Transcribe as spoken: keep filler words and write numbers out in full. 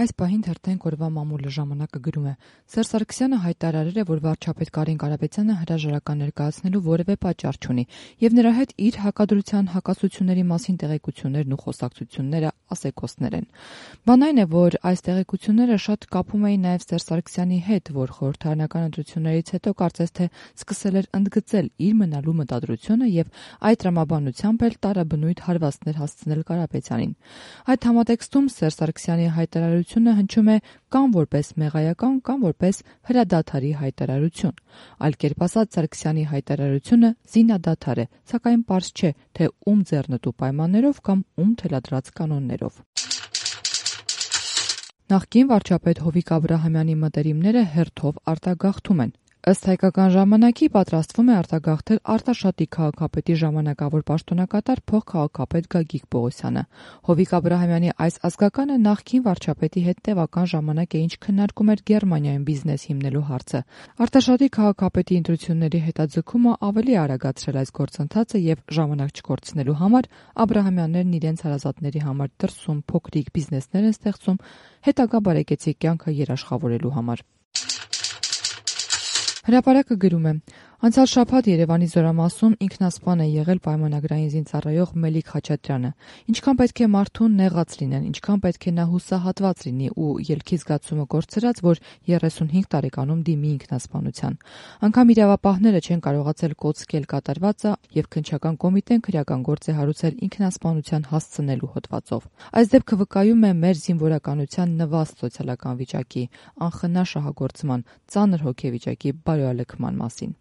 Այս պահին թերթենք օրվա մամուլը ժամանակը գրում է. Սերժ Սարգսյանը հայտարարել է, որ վարչապետ Կարեն Կարապետյանը հրաժարական ներկայացնելու որևէ պատճառ չունի, եւ նրա հետ իր հակադրության հակասությունների մասին տեղեկություններն ու խոսակցությունները ասեկոսներ են։ Բան այն է, որ այս տեղեկությունները շատ կապում էին նաեւ Սերժ Սարգսյանի հետ, որ խորհրդարանական ընտրություններից հետո կարծես թե սկսել էր ընդգծել իր մնալու մտադրությունը եւ այդ տրամաբանությամբ էլ տարաբնույթ հարվածներ հասցնել Կարապետյանին։ Այդ համատեքստում Սերժ Սարգսյանի հայտարարությունը հնչում է կամ որպես մեղայական, կամ որպես հրադադարի հայտարարություն։ Այլ կերպ ասած, Սարգսյանի հայտարարությունը զինադադար է, սակայն պարզ չէ, թե ում ձեռնտու պայմաններով կամ ում թելադրած կանոններով։ Նախկին վարչապետ Հովիկ Աբրահամյանի մտերիմները հերթով արտագաղթում են։ Ըստ Հայկական ժամանակի պատրաստվում է արտագաղթել Արտաշատի քաղաքապետի ժամանակավոր պաշտոնակատար փոխքաղաքապետ Գագիկ Պողոսյանը։ Հովիկ Աբրահամյանի այս ազգականը նախկին վարչապետի հետ տևական ժամանակ է ինչ քննարկում էր Գերմանիայում բիզնես հիմնելու հարցը։ Արտաշատի քաղաքապետի ընտրությունների հետաձգումը ավելի արագացրել այս գործընթացը եւ ժամանակ չկորցնելու համար Աբրահամյաններն իրենց հարազատների համար դրսում փոքրիկ բիզնեսներ են ստեղծում հետագա բարեկեցիկ կյանքը երաշխավորելու համար։ Հրապարակը գրում է. Անցյալ շաբաթ Երևանի Զորամասում ինքնասպան է եղել պայմանագրային զինծառայող Մելիք Խաչատրյանը։ Ինչքան պետք է մարդուն նեղաց լինեն, ինչքան պետք է նա հուսահատված լինի ու ելքի զգացումը կորցրած, որ երեսունհինգ տարեկանում դիմի ինքնասպանության։ Անգամ իրավապահները չեն կարողացել կոծկել կատարվածը եւ քննչական կոմիտեն քրեական գործ է հարուցել ինքնասպանության հասցնելու հոդվածով։ Այս դեպքը վկայում է մեր զինվորականության նվաստ սոցիալական վիճակի, անխնա շահագործման, ծանր հոգեվիճակի բարոյալքման մասին։